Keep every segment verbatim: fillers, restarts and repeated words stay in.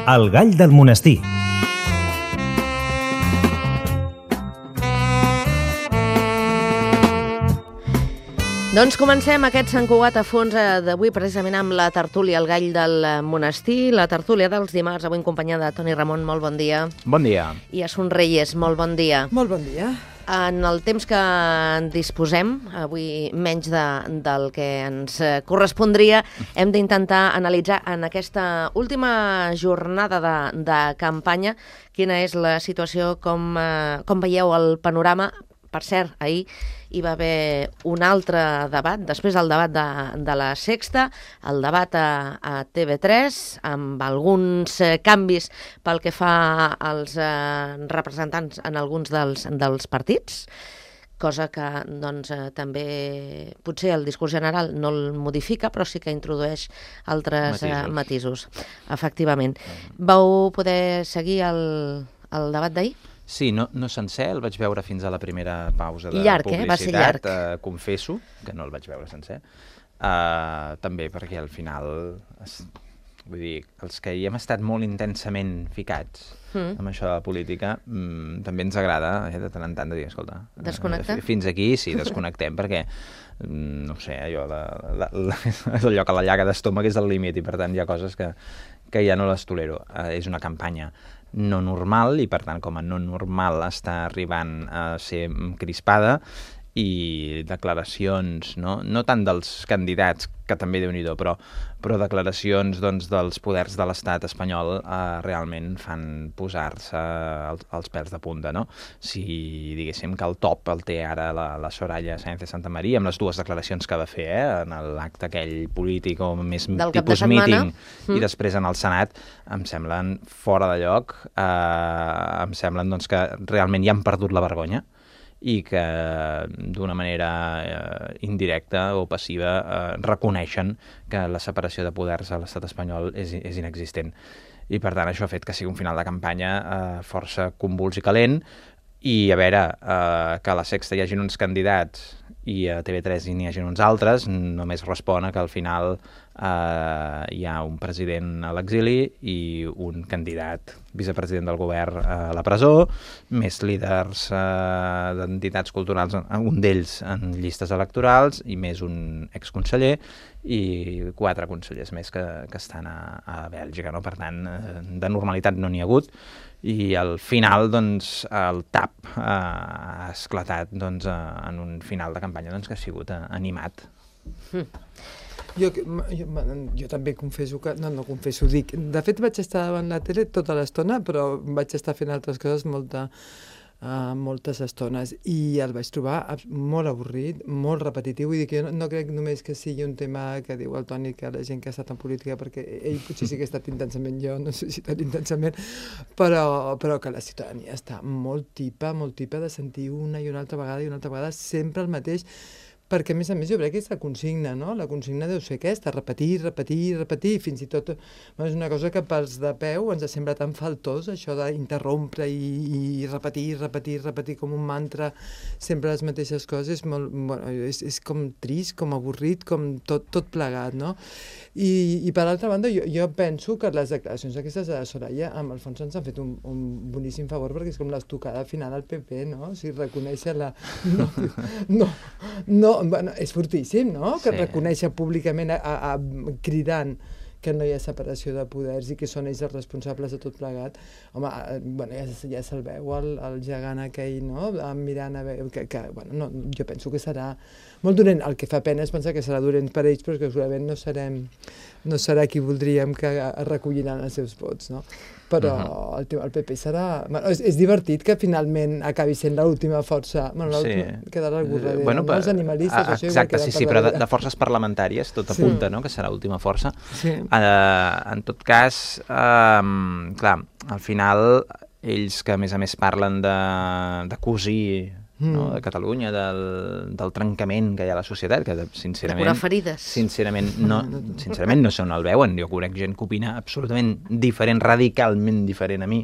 El gall del monestir. Doncs comencem aquest Sant Cugat a fons d'avui precisament amb la tertúlia El gall del monestir, la tertúlia dels dimarts, avui en companyia de Toni Ramon, molt bon dia. Bon dia. I Asun Reyes, molt bon dia. Molt bon dia. En el temps que en disposem, avui menys de, del que ens correspondria, hem d'intentar analitzar en aquesta última jornada de, de campanya quina és la situació, com, com veieu el panorama. Per cert, ahir hi va haver un altre debat, després del debat de, de la Sexta, el debat a, a T V tres, amb alguns eh, canvis pel que fa als eh, representants en alguns dels, dels partits, cosa que doncs, eh, també potser el discurs general no el modifica, però sí que introdueix altres matisos, eh, matisos efectivament. Vau poder seguir el, el debat d'ahir? Sí, no, no sencer, el vaig veure fins a la primera pausa de llarg, publicitat. Eh? Va ser llarg. Uh, confesso que no el vaig veure sencer. Uh, també perquè al final, es, vull dir, els que hi hem estat molt intensament ficats mm. amb això de la política, mm, també ens agrada eh, de tant en tant de dir, escolta, desconnectar? Uh, fins aquí sí, desconnectem, perquè mm, no sé, allò, la, la, la, allò que la llaga d'estómac és el límit i per tant hi ha coses que, que ja no les tolero. Uh, és una campanya no normal i per tant com a no normal està arribant a ser crispada i declaracions, no, no tant dels candidats, que també Déu-n'hi-do, però, però declaracions doncs, dels poders de l'estat espanyol eh, realment fan posar-se els, els pèls de punta, no? Si diguéssim que el top el té ara la, la Soraya Sáenz de Santamaría, amb les dues declaracions que va fer eh, en l'acte aquell polític o més del tipus meeting mm. i després en el Senat, em semblen fora de lloc, eh, em semblen doncs, que realment ja han perdut la vergonya i que d'una manera eh, indirecta o passiva eh, reconeixen que la separació de poders a l'estat espanyol és, és inexistent. I per tant això ha fet que sigui un final de campanya eh, força convuls i calent i a veure, eh, que a la Sexta hi hagin uns candidats i a T V tres hi n'hi hagin uns altres, només respon a que al final eh, hi ha un president a l'exili i un candidat vicepresident del govern a la presó, més líders eh, d'entitats culturals, un d'ells en llistes electorals i més un exconseller i quatre consellers més que, que estan a, a Bèlgica, no? Per tant, eh, de normalitat no n'hi ha hagut i al final doncs, el tap eh, ha esclatat doncs, eh, en un final de campanya doncs, que ha sigut eh, animat. Mm. Jo, jo, jo també confesso que... No, no confesso, dic... De fet, vaig estar davant la tele tota l'estona, però vaig estar fent altres coses molta, uh, moltes estones i el vaig trobar molt avorrit, molt repetitiu. Vull dir que jo no, no crec només que sigui un tema que diu el Toni, que la gent que ha estat en política, perquè ell potser sí que ha estat intensament, jo no sé si tan intensament, però, però que la ciutadania està molt tipa, molt tipa de sentir una i una altra vegada i una altra vegada sempre el mateix, perquè, a més a més, jo crec que és la consigna, no? La consigna deu ser aquesta, repetir, repetir, repetir, fins i tot bueno, és una cosa que pels de peu ens sembla tan faltós, això d'interrompre i, i repetir, repetir, repetir com un mantra, sempre les mateixes coses, molt, bueno, és, és com trist, com avorrit, com tot, tot plegat, no? I, i per altra banda, jo, jo penso que les declaracions aquestes de la Soraya, amb el fons ens han fet un, un boníssim favor, perquè és com l'estocada final al P P, no? O sigui, reconèixer la... No, no, no bueno, és fortíssim, no? Que sí. Reconèixer públicament a, a, a, cridant que no hi ha separació de poders i que són ells els responsables de tot plegat. Home, bueno, ja, ja se'l veu el, el gegant aquell, no? Mirant a veure... Que, que, bueno, no, jo penso que serà molt dolent. El que fa pena és pensar que serà dolent per ells, però que segurament no serem, no serà qui voldríem que recolliran els seus vots, no? Però uh-huh. el, el P P serà... Bueno, és, és divertit que finalment acabi sent l'última força. Bueno, l'última sí. Quedarà algú darrere. Bueno, no? Els animalistes, a, això exacte, igual sí, sí, però de, de forces parlamentàries tot apunta, sí. No?, que serà l'última força. Sí. Uh, en tot cas, uh, clar, al final, ells que a més a més parlen de, de cosir, mm. no?, de Catalunya, del, del trencament que hi ha a la societat, que sincerament... De curar ferides. Sincerament no, sincerament no sé on el veuen. Jo conec gent que opina absolutament diferent, radicalment diferent a mi,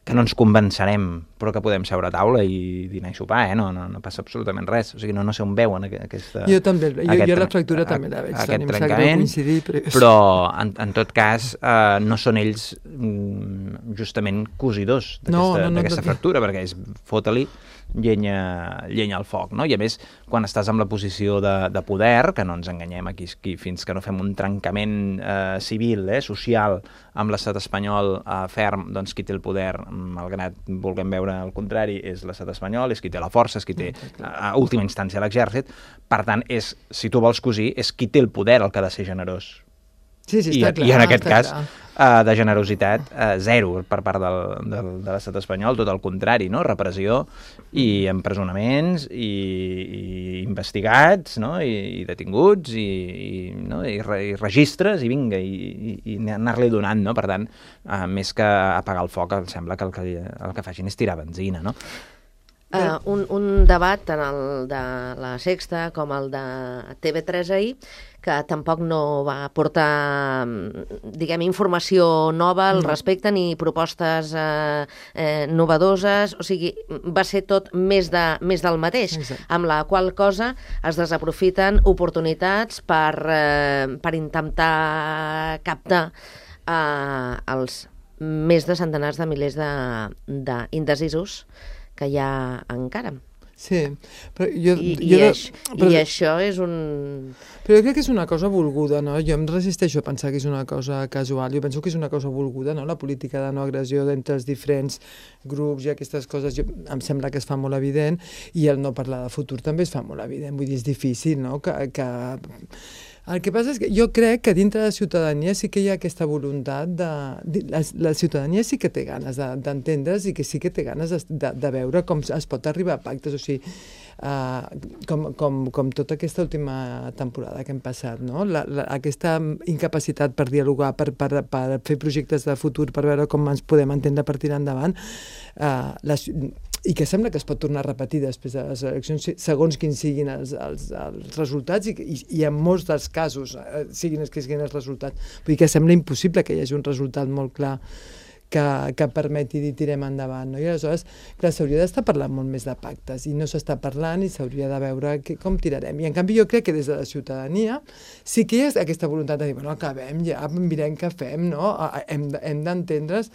que no ens convencerem, però que podem seure a taula i dinar i sopar, eh? no, no, no passa absolutament res. O sigui, no, no sé on veuen aquesta... Jo també, jo, aquest, jo la fractura a, també la veig. Aquest trencament, però, però en, en tot cas eh, no són ells mm, justament cosidors d'aquesta no, no, no, no, fractura, perquè és fota-li llenya, llenya al foc, no? I a més, quan estàs en la posició de, de poder, que no ens enganyem aquí, aquí fins que no fem un trencament eh, civil, eh, social, amb l'estat espanyol eh, ferm, doncs qui té el poder, malgrat vulguem veure el contrari, és l'estat espanyol, és qui té la força, és qui té, a última instància, l'exèrcit. Per tant, és, si tu vols cosir, és qui té el poder el que ha de ser generós. Sí, sí, I, està clar. I en aquest cas, uh, de generositat, uh, zero per part del, del, de l'estat espanyol, tot el contrari, no? Repressió i empresonaments i, i investigats, no? I, i detinguts i, i, no? I, re, i registres i vinga, i, i, i anar-li donant, no? Per tant, uh, més que apagar el foc, em sembla que el que, el que facin és tirar benzina, no? Uh, un, un debat tant el de la Sexta com el de T V tres ahir, que tampoc no va aportar, diguem, informació nova al respecte ni propostes eh, eh, novedoses, o sigui, va ser tot més, de, més del mateix, exacte. Amb la qual cosa es desaprofiten oportunitats per, eh, per intentar captar eh, els més de centenars de milers d'indecisos que hi ha encara. Sí, però jo... I, jo i, de, aix, però, I això és un... Però jo crec que és una cosa volguda, no? Jo em resisteixo a pensar que és una cosa casual. Jo penso que és una cosa volguda, no? La política de no agressió d'entre els diferents grups i aquestes coses, jo, em sembla que es fa molt evident, i el no parlar de futur també es fa molt evident. Vull dir, és difícil, no? Que... que... El que passa és que jo crec que dintre de la ciutadania sí que hi ha aquesta voluntat de... La, la ciutadania sí que té ganes d'entendre's de, i que sí que té ganes de, de, de veure com es pot arribar a pactes, o sigui, uh, com, com, com tota aquesta última temporada que hem passat, no? La, la, aquesta incapacitat per dialogar, per, per, per fer projectes de futur, per veure com ens podem entendre per tirar endavant, uh, les, i que sembla que es pot tornar a repetir després de les eleccions, segons quins siguin els, els, els resultats, i, i, i en molts dels casos eh, siguin els que siguin els resultats. Vull dir que sembla impossible que hi hagi un resultat molt clar que, que permeti dir tirem endavant, no? I aleshores, clar, s'hauria d'estar parlant molt més de pactes, i no s'està parlant i s'hauria de veure que, com tirarem. I en canvi jo crec que des de la ciutadania sí que hi ha aquesta voluntat de dir, bueno, acabem ja, mirem què fem, no? Hem, hem d'entendre's.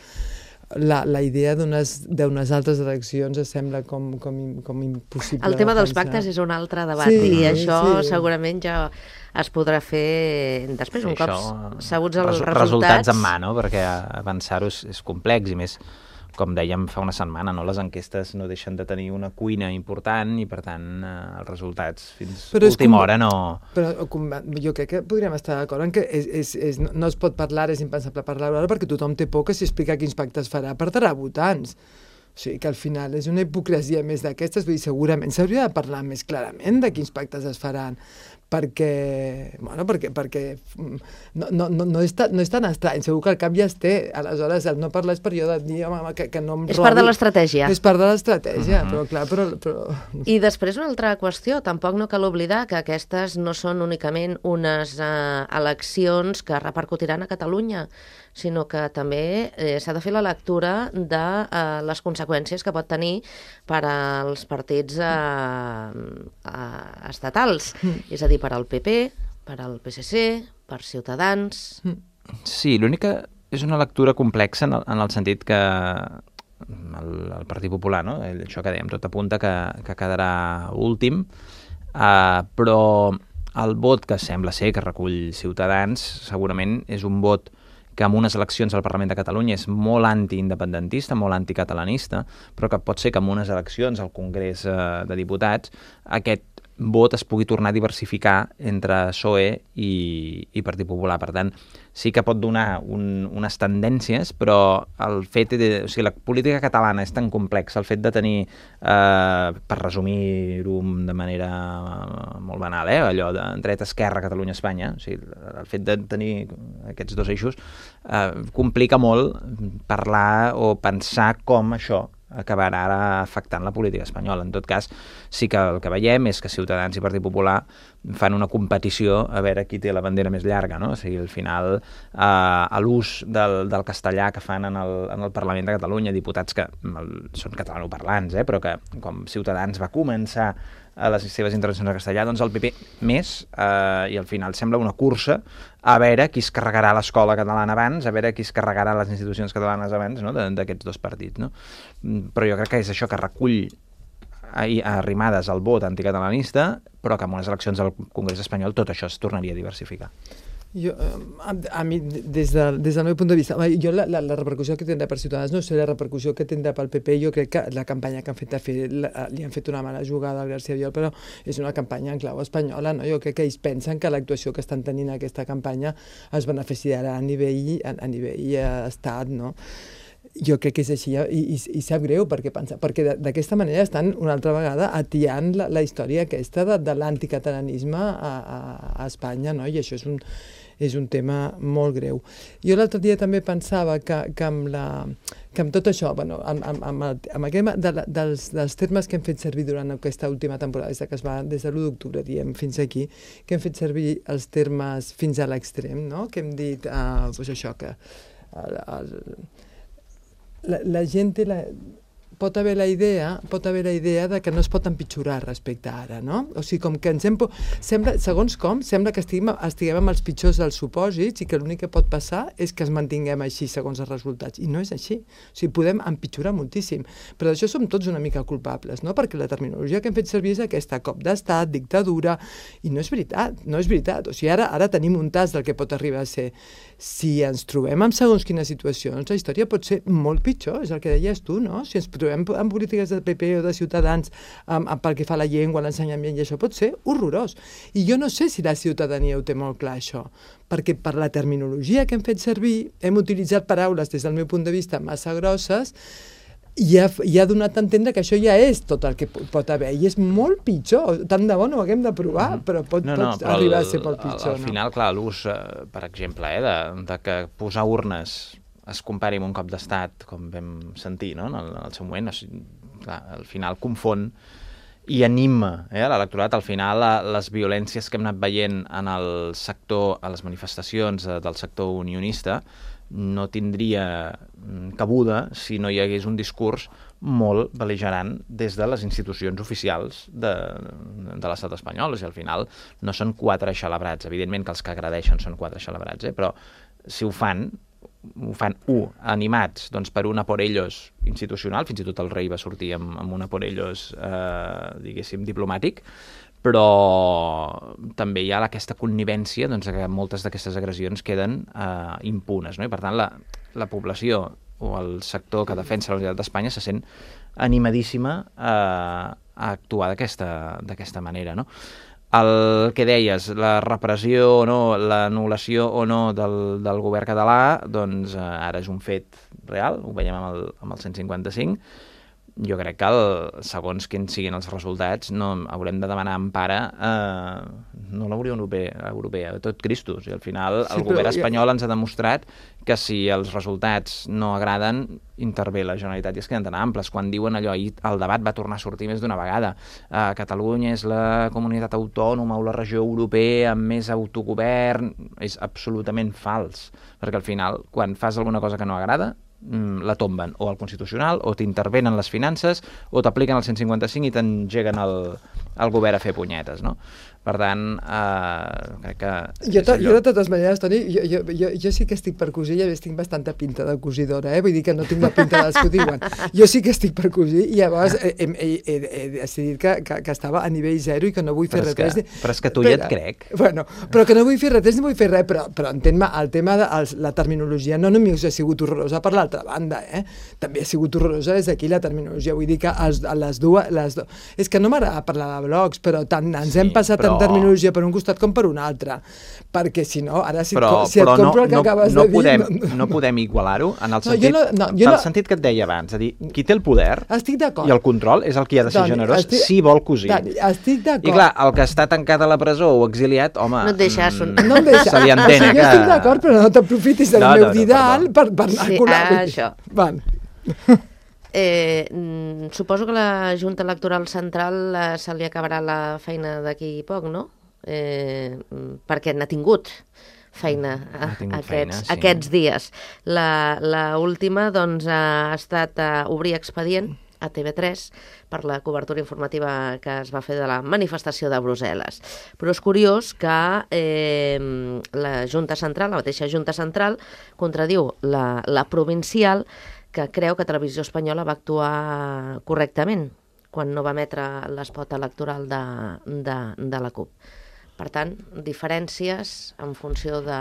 La, la idea d'unes altres eleccions sembla com, com, com impossible. El tema de dels pactes és un altre debat, sí, i això sí. segurament ja es podrà fer després, un cop sabuts els resultats. Resultats en mà, no? Perquè avançar-ho és, és complex, i més, com dèiem fa una setmana, no? Les enquestes no deixen de tenir una cuina important i, per tant, eh, els resultats fins a última hora no... Però com, jo crec que podríem estar d'acord en que és, és, és, no es pot parlar, és impensable parlar ara, perquè tothom té por que si explica quins pactes farà perdrà votants. O sigui, que al final és una hipocresia més d'aquestes, vull dir, segurament s'hauria de parlar més clarament de quins pactes es faran, perquè, bueno, perquè, perquè no, no, no, no, és tan, no és tan estrany, segur que al cap ja es té, aleshores el no parlar és per jo de dir, home, que, que no em és robi. part de l'estratègia. És part de l'estratègia, uh-huh. però clar, però, però... I després una altra qüestió, tampoc no cal oblidar que aquestes no són únicament unes eh, eleccions que repercutiran a Catalunya, sinó que també eh, s'ha de fer la lectura de eh, les conseqüències que pot tenir per als partits eh, eh, estatals, mm. és a dir, per al P P, per al P S C, per Ciutadans... Mm. Sí, l'única és una lectura complexa en el, en el sentit que el, el Partit Popular, no? Això que dèiem, tot apunta que, que quedarà últim, eh, però el vot que sembla ser que recull Ciutadans segurament és un vot que en unes eleccions al Parlament de Catalunya és molt antiindependentista, molt anticatalanista, però que pot ser que en unes eleccions al Congrés eh, de Diputats aquest vot es pugui tornar a diversificar entre P S O E i, i Partit Popular. Per tant, sí que pot donar un, unes tendències, però el fet de... O sigui, la política catalana és tan complexa, el fet de tenir, eh, per resumir-ho de manera molt banal, eh, allò de dreta-esquerra, Catalunya-Espanya, o sigui, el fet de tenir aquests dos eixos eh, complica molt parlar o pensar com això acabarà ara afectant la política espanyola. En tot cas, sí que el que veiem és que Ciutadans i Partit Popular fan una competició a veure qui té la bandera més llarga, no? O sigui, al final, eh, a l'ús del, del castellà que fan en el, en el Parlament de Catalunya, diputats que el, són catalanoparlants, eh, però que com Ciutadans va començar a les seves intervencions en castellà, doncs el P P més, eh, i al final sembla una cursa a veure qui es carregarà l'escola catalana abans, a veure qui es carregarà les institucions catalanes abans, no?, d'aquests dos partits, no? Però jo crec que és això que recull arrimades al vot anticatalanista, però que en unes eleccions al Congrés espanyol tot això es tornaria a diversificar. Jo, a, a mi, des, de, des del meu punt de vista, jo la, la, la repercussió que tindrà per Ciutadans no sé la repercussió que tindrà pel P P. Jo crec que la campanya que han fet, fer, la, li han fet una mala jugada al García Albiol, però és una campanya en clau espanyola, no? Jo crec que ells pensen que l'actuació que estan tenint aquesta campanya es beneficiarà a nivell, a, a nivell estat, no? Jo crec que és així, i, i, i sap greu perquè, pensa, perquè d'aquesta manera estan una altra vegada atiant la, la història aquesta de, de l'anticatalanisme a, a, a Espanya, no? I això és un, és un tema molt greu. Jo l'altre dia també pensava que, que, amb, la, que amb tot això, bueno, amb, amb, amb, el, amb aquest, de, dels, dels termes que hem fet servir durant aquesta última temporada, des, que es va, des de l'u d'octubre, diem, fins aquí, que hem fet servir els termes fins a l'extrem, no? Que hem dit, uh, pues això, que el, el, La, la gent té la, pot haver la idea, pot haver la idea de que no es pot empitjorar respecte a ara, no? O sigui, com que ens hem... Sembla, segons com, sembla que estiguem, estiguem amb els pitjors dels supòsits i que l'únic que pot passar és que es mantinguem així segons els resultats. I no és així. O sigui, podem empitjorar moltíssim. Però d'això som tots una mica culpables, no? Perquè la terminologia que hem fet servir és aquesta cop d'estat, dictadura, i no és veritat, no és veritat. O sigui, ara, ara tenim un tas del que pot arribar a ser. Si ens trobem en segons quines situacions, la història pot ser molt pitjor, és el que deies tu, no? Si ens trobem en polítiques del P P o de Ciutadans um, pel que fa a la llengua, l'ensenyament, i això pot ser horrorós. I jo no sé si la ciutadania ho té molt clar, això, perquè per la terminologia que hem fet servir hem utilitzat paraules, des del meu punt de vista, massa grosses, i ha, i ha donat a entendre que això ja és tot el que pot haver, i és molt pitjor. Tant de bo no ho haguem de provar, mm-hmm. però pot, no, no, pot però arribar el, a ser molt pitjor. Al, al final, no? Clar, l'ús, eh, per exemple, eh, de, de que posar urnes es compari amb un cop d'estat, com vam sentir, no?, en el, en el seu moment, o sigui, clar, al final confon i anima eh, l'electorat. Al final, la, les violències que hem anat veient en el sector, a les manifestacions eh, del sector unionista, no tindria cabuda si no hi hagués un discurs molt bel·ligerant des de les institucions oficials de, de l'estat espanyol. O sigui, al final no són quatre xalabrats. Evidentment que els que agredeixen són quatre xalabrats, eh? Però si ho fan, ho fan, u, animats doncs, per una por ellos institucional, fins i tot el rei va sortir amb, amb una por ellos, eh, diguéssim, diplomàtic, però també hi ha aquesta connivència doncs, que moltes d'aquestes agressions queden eh, impunes, no? I per tant la, la població o el sector que defensa la unitat d'Espanya se sent animadíssima a, a actuar d'aquesta manera, no? El que deies, la repressió o no, l'anul·lació o no del, del govern català, doncs eh, ara és un fet real, ho veiem amb el, amb el cent cinquanta-cinc. Jo crec que, el, segons quins siguin els resultats, no haurem de demanar empara eh, no la Unió Europea, Europea, tot Cristos. I al final el sí, govern espanyol ens ha demostrat que si els resultats no agraden, intervé la Generalitat i es queden tan amples. Quan diuen allò, ahir el debat va tornar a sortir més d'una vegada. Eh, Catalunya és la comunitat autònoma o la regió europea amb més autogovern. És absolutament fals, perquè al final, quan fas alguna cosa que no agrada, la tomben o al Constitucional, o t'intervenen les finances, o t'apliquen el cent cinquanta-cinc i t'engeguen el, el govern a fer punyetes, no? Per tant, eh, crec que... Jo, to, jo de totes maneres, Toni, jo, jo, jo, jo sí que estic per cosir, i a més tinc bastanta pinta de cosidora, eh? Vull dir que no tinc la pinta dels que ho diuen. Jo sí que estic per cosir, i llavors he, he, he, he, he decidit que, que, que estava a nivell zero i que no vull fer res. Que, però és que tu ja et crec. Bueno, però que no vull fer res, ni vull fer res, però, però entén-me, el tema de els, la terminologia no només ha sigut horrorosa per l'altra banda, eh? També ha sigut horrorosa des d'aquí la terminologia. Vull dir que els, les dues... Les do... És que no m'agrada parlar de blocs, però tant ens sí, hem passat però... en terminologia per un costat com per un altre, perquè si no, ara si, però, et, si et compro no, el que no, acabes no de podem, dir... No, no podem igualar-ho en el sentit, no, no, no, el no, sentit que et deia abans, és a dir, qui té el poder i el control és el qui ha de ser Doni, generós estic, si vol cosir. Doni, estic d'acord. I clar, el que està tancat a la presó o exiliat, home, no et deixes un... no em deixa. Se li entén, o sigui, que... jo estic d'acord, però no t'aprofitis del no, meu no, no, didal per, per anar sí, a colar. Ah, això. Van. Eh, suposo que la Junta Electoral Central eh, se li acabarà la feina d'aquí poc, no? Eh, perquè n'ha tingut feina a, aquests, feina, sí. aquests dies. La, la última doncs, ha estat a obrir expedient a T V tres per la cobertura informativa que es va fer de la manifestació de Brussel·les. Però és curiós que eh, la Junta Central, la mateixa Junta Central, contradiu la, la provincial, que creu que Televisió Espanyola va actuar correctament quan no va emetre l'espot electoral de, de, de la CUP. Per tant, diferències en funció de,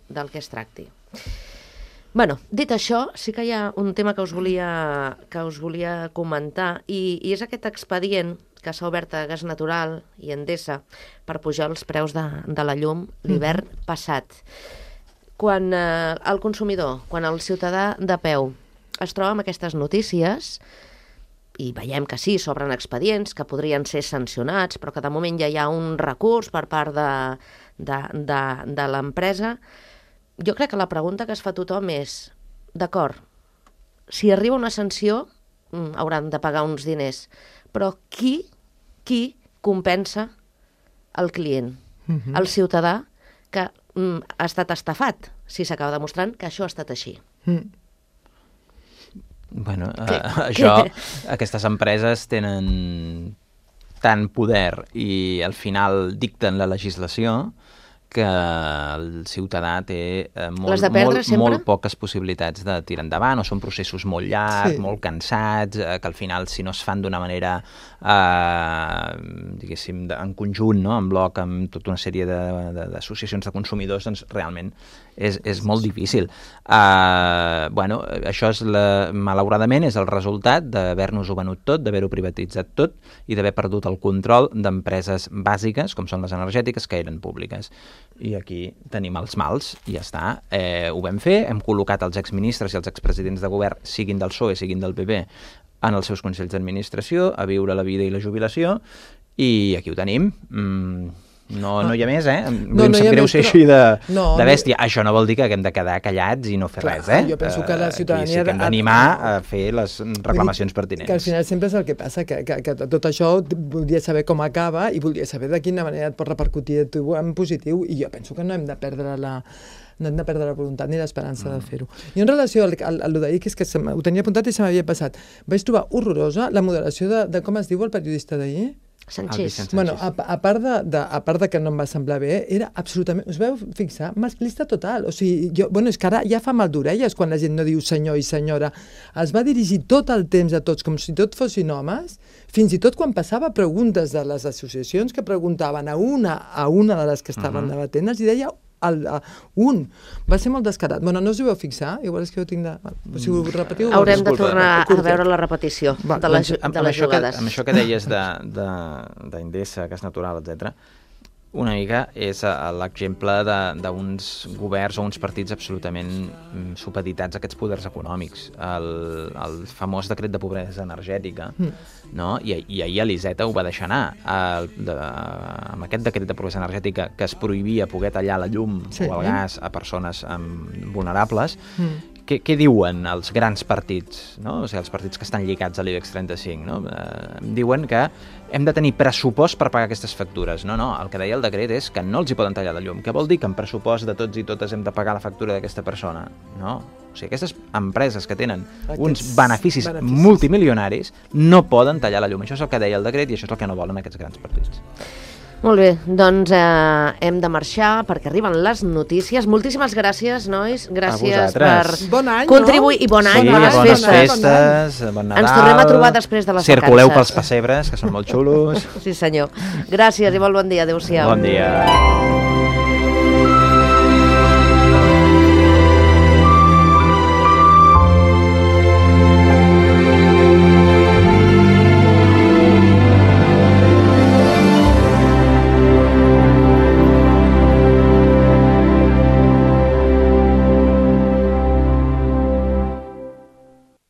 del que es tracti. Bueno, dit això, sí que hi ha un tema que us volia, que us volia comentar i, i és aquest expedient que s'ha obert a Gas Natural i Endesa per pujar els preus de, de la llum l'hivern mm-hmm. passat. Quan eh, el consumidor, quan el ciutadà de peu es troba amb aquestes notícies i veiem que sí, s'obren expedients que podrien ser sancionats, però que de moment ja hi ha un recurs per part de, de, de, de l'empresa. Jo crec que la pregunta que es fa tothom és, d'acord, si arriba una sanció, hauran de pagar uns diners, però qui, qui compensa el client? Mm-hmm. El ciutadà que mm, ha estat estafat, si s'acaba demostrant que això ha estat així. Mm. Bueno, uh, això, aquestes empreses tenen tant poder i al final dicten la legislació que el ciutadà té eh, molt, molt, molt poques possibilitats de tirar endavant, o són processos molt llargs, sí. molt cansats, eh, que al final, si no es fan d'una manera, eh, diguéssim, de, en conjunt, no? En bloc, amb tota una sèrie d'associacions de, de, de consumidors, doncs realment és, és molt difícil. Eh, bueno, això, és la, malauradament, és el resultat d'haver-nos-ho venut tot, d'haver-ho privatitzat tot i d'haver perdut el control d'empreses bàsiques, com són les energètiques, que eren públiques. I aquí tenim els mals, i ja està. Eh, ho vam fer, hem col·locat els exministres i els expresidents de govern, siguin del P S O E, siguin del P P, en els seus consells d'administració, a viure la vida i la jubilació, i aquí ho tenim. Mm, no, no hi ha més, eh? No, em sap no greu ser així de, no, de bèstia. No. Això no vol dir que haguem de quedar callats i no fer clar, res, eh? Jo penso que la ciutadania... Aquí sí que hem d'animar a fer les reclamacions pertinents. Que al final sempre és el que passa, que, que, que tot això voldria saber com acaba i voldria saber de quina manera et pot repercutir en positiu, i jo penso que no hem de perdre la... no hem de perdre la voluntat ni l'esperança mm. de fer-ho. I en relació al, al, al d'ahir, que és que se ho tenia apuntat i se m'havia passat, vaig trobar horrorosa la moderació de, de com es diu el periodista d'ahir? Sánchez. Bueno, a, a, part de, de, a part de que no em va semblar bé, era absolutament, us veu fixar, masclista total. O sigui, jo, bueno, és que ara ja fa mal d'orelles quan la gent no diu senyor i senyora. Es va dirigir tot el temps a tots com si tot fossin homes, fins i tot quan passava preguntes de les associacions que preguntaven a una a una de les que estaven uh-huh. debatent, els deia el, uh, un. Va ser molt descarat. Bueno, no us hi veu fixar? Igual és que jo tinc de... Si ho repetiu... Haurem de tornar a veure la repetició Va, de les, doncs, de les jugades. Que, amb això que deies d'Endesa, Gas Natural, etcètera, una mica és l'exemple d'uns governs o uns partits absolutament supeditats a aquests poders econòmics. El, el famós decret de pobresa energètica, mm. no? I, i ahir l'Iseta ho va deixar anar. El, de, amb aquest decret de pobresa energètica que es prohibia poder tallar la llum sí. o el gas a persones um, vulnerables, mm. Què, què diuen els grans partits, no? O sigui, els partits que estan lligats a l'IBEX trenta-cinc, no? Eh, diuen que hem de tenir pressupost per pagar aquestes factures. No, no, el que deia el decret és que no els hi poden tallar la llum. Què vol dir que en pressupost de tots i totes hem de pagar la factura d'aquesta persona? No. O sigui, aquestes empreses que tenen Aquests uns beneficis, beneficis multimilionaris no poden tallar la llum. Això és el que deia el decret i això és el que no volen aquests grans partits. Molt bé, doncs eh, hem de marxar perquè arriben les notícies. Moltíssimes gràcies, nois. Gràcies per bon any, contribuir. No? I bon any, sí, bones, bones festes. festes, bon Nadal. Ens tornem a trobar després de les vacances. Circuleu pels pessebres, que són molt xulos. Sí, senyor. Gràcies i molt bon dia. Adéu-siau. Bon dia.